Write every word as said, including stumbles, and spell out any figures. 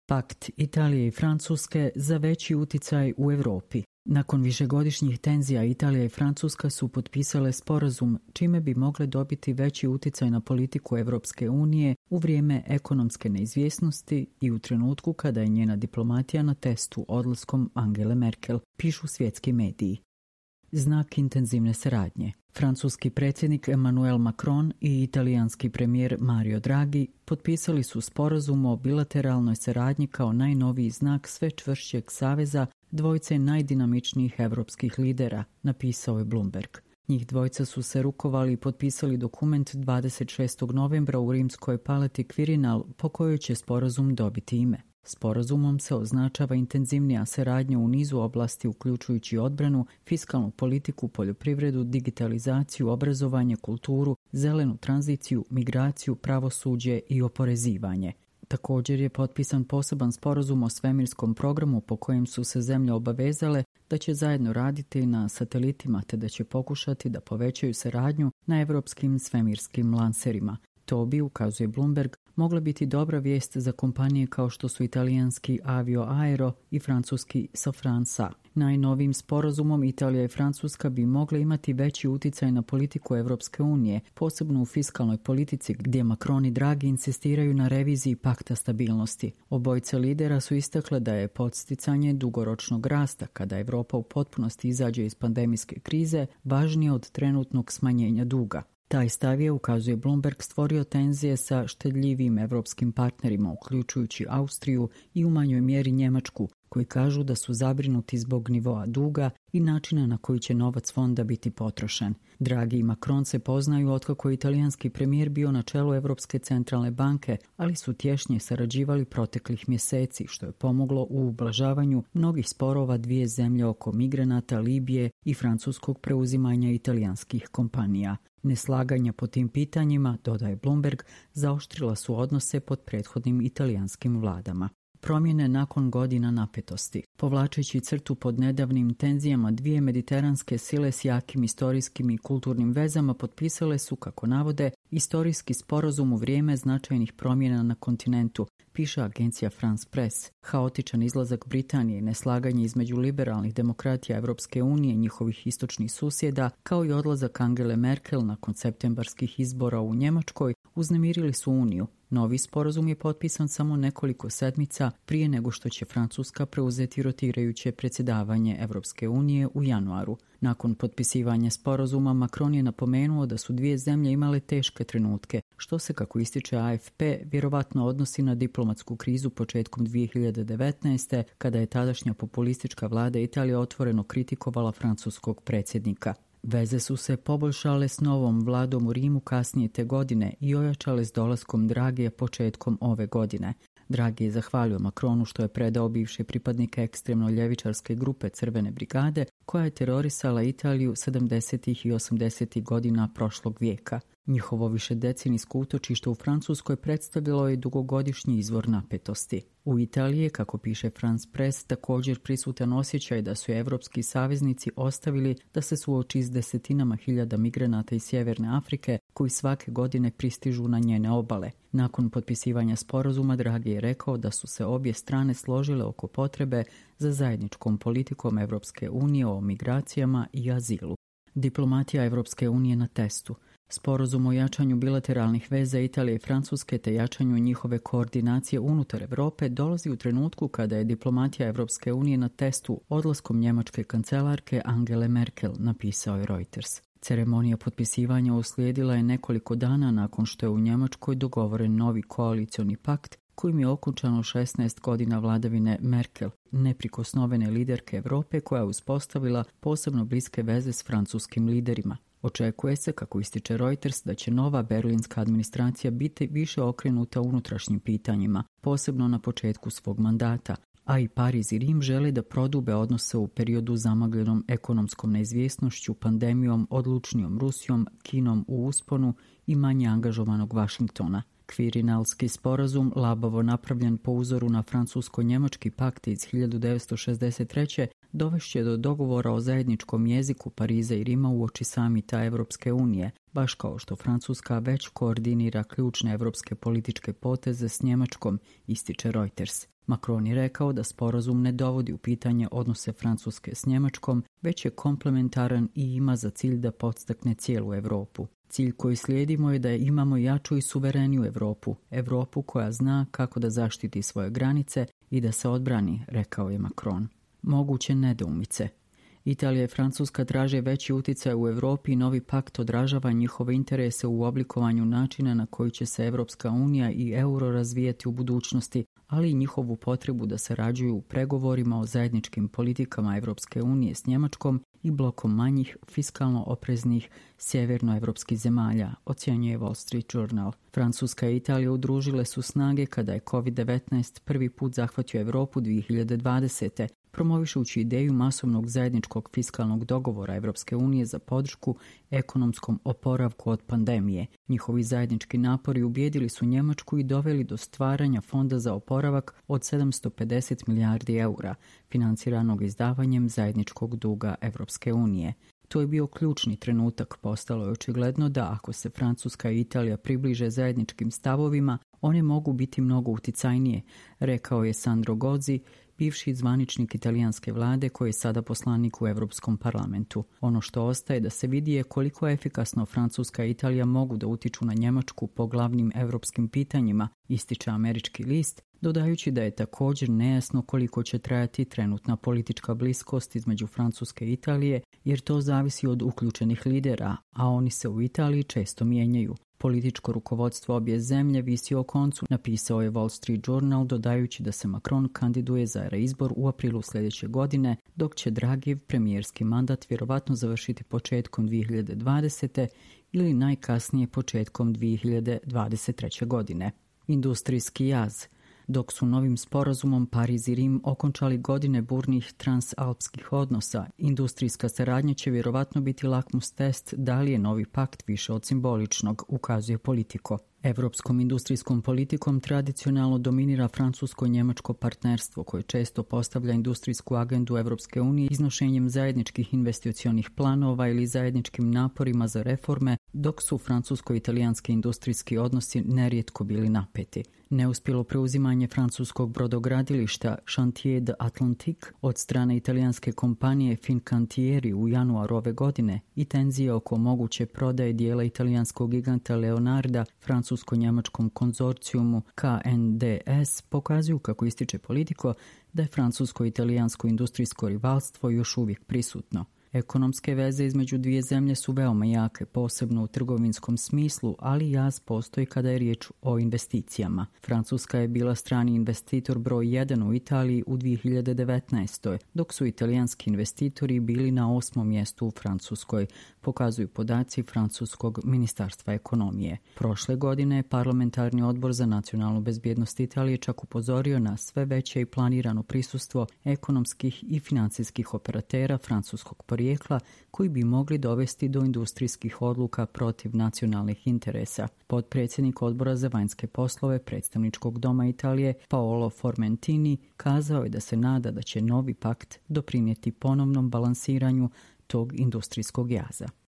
Pakt Italije i Francuske za veći uticaj u Europi. Nakon višegodišnjih tenzija Italija i Francuska su potpisale sporazum čime bi mogle dobiti veći uticaj na politiku Evropske unije u vrijeme ekonomske neizvjesnosti i u trenutku kada je njena diplomatija na testu odlaskom Angele Merkel, pišu svjetski mediji. Znak intenzivne saradnje. Francuski predsjednik Emmanuel Macron i italijanski premijer Mario Draghi potpisali su sporazum o bilateralnoj saradnji kao najnoviji znak sve čvršćeg saveza dvojce najdinamičnijih evropskih lidera, napisao je Bloomberg. Njih dvojca su se rukovali i potpisali dokument dvadeset šestog novembra u rimskoj palati Quirinal po kojoj će sporazum dobiti ime. Sporazumom se označava intenzivnija saradnja u nizu oblasti uključujući odbranu, fiskalnu politiku, poljoprivredu, digitalizaciju, obrazovanje, kulturu, zelenu tranziciju, migraciju, pravosuđe i oporezivanje. Također je potpisan poseban sporazum o svemirskom programu po kojem su se zemlje obavezale da će zajedno raditi na satelitima te da će pokušati da povećaju saradnju na evropskim svemirskim lanserima. To bi, ukazuje Bloomberg, mogla biti dobra vijest za kompanije kao što su italijanski Avio Aero i francuski Safransa. Najnovijim sporazumom Italija i Francuska bi mogle imati veći uticaj na politiku Evropske unije, posebno u fiskalnoj politici gdje Macron i Draghi insistiraju na reviziji pakta stabilnosti. Obojica lidera su istakle da je podsticanje dugoročnog rasta kada Evropa u potpunosti izađe iz pandemijske krize važnije od trenutnog smanjenja duga. Taj stav je, ukazuje Bloomberg, stvorio tenzije sa štedljivim evropskim partnerima, uključujući Austriju i u manjoj mjeri Njemačku, koji kažu da su zabrinuti zbog nivoa duga i načina na koji će novac fonda biti potrošen. Draghi i Macron se poznaju otkako je italijanski premijer bio na čelu Europske centralne banke, ali su tješnje sarađivali proteklih mjeseci, što je pomoglo u ublažavanju mnogih sporova dvije zemlje oko migranata, Libije i francuskog preuzimanja italijanskih kompanija. Neslaganja po tim pitanjima, dodaje Bloomberg, zaoštrila su odnose pod prethodnim italijanskim vladama. Promjene nakon godina napetosti. Povlačeći crtu pod nedavnim tenzijama, dvije mediteranske sile s jakim istorijskim i kulturnim vezama potpisale su, kako navode, istorijski sporazum u vrijeme značajnih promjena na kontinentu, piše agencija France Press. Haotičan izlazak Britanije i neslaganje između liberalnih demokratija Evropske unije i njihovih istočnih susjeda, kao i odlazak Angele Merkel nakon septembarskih izbora u Njemačkoj, uznemirili su Uniju. Novi sporazum je potpisan samo nekoliko sedmica prije nego što će Francuska preuzeti rotirajuće predsjedavanje Evropske unije u januaru. Nakon potpisivanja sporazuma, Macron je napomenuo da su dvije zemlje imale teške trenutke, što se, kako ističe A F P, vjerovatno odnosi na diplomatsku krizu početkom dvije hiljade devetnaeste. kada je tadašnja populistička vlada Italije otvoreno kritikovala francuskog predsjednika. Veze su se poboljšale s novom vladom u Rimu kasnije te godine i ojačale s dolaskom Draghija početkom ove godine. Draghi je zahvalio Macronu što je predao bivše pripadnike ekstremno ljevičarske grupe Crvene brigade koja je terorisala Italiju sedamdesetih i osamdesetih godina prošlog vijeka. Njihovo višedecenijsko utočište u Francuskoj predstavljalo je dugogodišnji izvor napetosti. U Italiji, kako piše France Press, također prisutan osjećaj da su evropski saveznici ostavili da se suoči s desetinama hiljada migranata iz Sjeverne Afrike koji svake godine pristižu na njene obale. Nakon potpisivanja sporazuma, Draghi je rekao da su se obje strane složile oko potrebe za zajedničkom politikom Evropske unije o migracijama i azilu. Diplomatija Evropske unije na testu. Sporazum o jačanju bilateralnih veza Italije i Francuske te jačanju njihove koordinacije unutar Europe dolazi u trenutku kada je diplomatija Evropske unije na testu odlaskom njemačke kancelarke Angele Merkel, napisao je Reuters. Ceremonija potpisivanja uslijedila je nekoliko dana nakon što je u Njemačkoj dogovoren novi koalicioni pakt kojim je okončano šesnaest godina vladavine Merkel, neprikosnovene liderke Europe koja je uspostavila posebno bliske veze s francuskim liderima. Očekuje se, kako ističe Reuters, da će nova berlinska administracija biti više okrenuta unutrašnjim pitanjima, posebno na početku svog mandata, a i Pariz i Rim žele da prodube odnose u periodu zamagljenom ekonomskom neizvjesnošću, pandemijom, odlučnijom Rusijom, Kinom u usponu i manje angažovanog Vašingtona. Kvirinalski sporazum, labavo napravljen po uzoru na francusko-njemački pakt iz hiljadu devetsto šezdeset treće. dovešće do dogovora o zajedničkom jeziku Pariza i Rima uoči samita Evropske unije, baš kao što Francuska već koordinira ključne evropske političke poteze s Njemačkom, ističe Reuters. Macron je rekao da sporazum ne dovodi u pitanje odnose Francuske s Njemačkom, već je komplementaran i ima za cilj da podstakne cijelu Europu. Cilj koji slijedimo je da imamo jaču i suvereniju Europu, Europu koja zna kako da zaštiti svoje granice i da se odbrani, rekao je Macron. Moguće nedoumice. Italija i Francuska traže veći uticaj u Europi i novi pakt odražava njihove interese u oblikovanju načina na koji će se Evropska unija i euro razvijati u budućnosti, ali i njihovu potrebu da sarađuju u pregovorima o zajedničkim politikama Evropske unije s Njemačkom i blokom manjih, fiskalno opreznih sjevernoevropskih zemalja, ocjenjuje Wall Street Journal. Francuska i Italija udružile su snage kada je kovid devetnaest prvi put zahvatio Europu dvije hiljade dvadesete promovišući ideju masovnog zajedničkog fiskalnog dogovora Evropske unije za podršku ekonomskom oporavku od pandemije. Njihovi zajednički napori ubijedili su Njemačku i doveli do stvaranja fonda za oporavak od sedamsto pedeset milijardi eura, financiranog izdavanjem zajedničkog duga Evropske unije. To je bio ključni trenutak, postalo je očigledno da ako se Francuska i Italija približe zajedničkim stavovima, one mogu biti mnogo uticajnije, rekao je Sandro Gozzi, bivši zvaničnik italijanske vlade koji je sada poslanik u Europskom parlamentu. Ono što ostaje da se vidi je koliko efikasno Francuska i Italija mogu da utiču na Njemačku po glavnim europskim pitanjima, ističe američki list, dodajući da je također nejasno koliko će trajati trenutna politička bliskost između Francuske i Italije, jer to zavisi od uključenih lidera, a oni se u Italiji često mijenjaju. Političko rukovodstvo obje zemlje visi o koncu, napisao je Wall Street Journal, dodajući da se Macron kandiduje za reizbor u aprilu sljedeće godine, dok će Draghijev premijerski mandat vjerovatno završiti početkom dvije hiljade dvadesete ili najkasnije početkom dvije hiljade dvadeset treće godine. Industrijski jaz. Dok su novim sporazumom Pariz i Rim okončali godine burnih transalpskih odnosa, industrijska saradnja će vjerovatno biti lakmus test da li je novi pakt više od simboličnog, ukazuje Politico. Evropskom industrijskom politikom tradicionalno dominira francusko-njemačko partnerstvo koje često postavlja industrijsku agendu Evropske unije iznošenjem zajedničkih investicionih planova ili zajedničkim naporima za reforme, dok su francusko-italijanski industrijski odnosi nerijetko bili napeti. Neuspjelo preuzimanje francuskog brodogradilišta Chantier de Atlantique od strane italijanske kompanije Fincantieri u januaru ove godine i tenzije oko moguće prodaje dijela italijanskog giganta Leonarda francusko-njemačkom konzorcijumu K N D S pokazuju, kako ističe Politico, da je francusko-italijansko industrijsko rivalstvo još uvijek prisutno. Ekonomske veze između dvije zemlje su veoma jake, posebno u trgovinskom smislu, ali jaz postoji kada je riječ o investicijama. Francuska je bila strani investitor broj jedan u Italiji u dvije hiljade devetnaestoj, dok su italijanski investitori bili na osmom mjestu u Francuskoj, pokazuju podaci Francuskog ministarstva ekonomije. Prošle godine je parlamentarni odbor za nacionalnu bezbjednost Italije čak upozorio na sve veće i planirano prisustvo ekonomskih i financijskih operatera francuskog porijekla koji bi mogli dovesti do industrijskih odluka protiv nacionalnih interesa. Potpredsjednik odbora za vanjske poslove predstavničkog doma Italije Paolo Formentini kazao je da se nada da će novi pakt doprinijeti ponovnom balansiranju tog industrijskog jaza.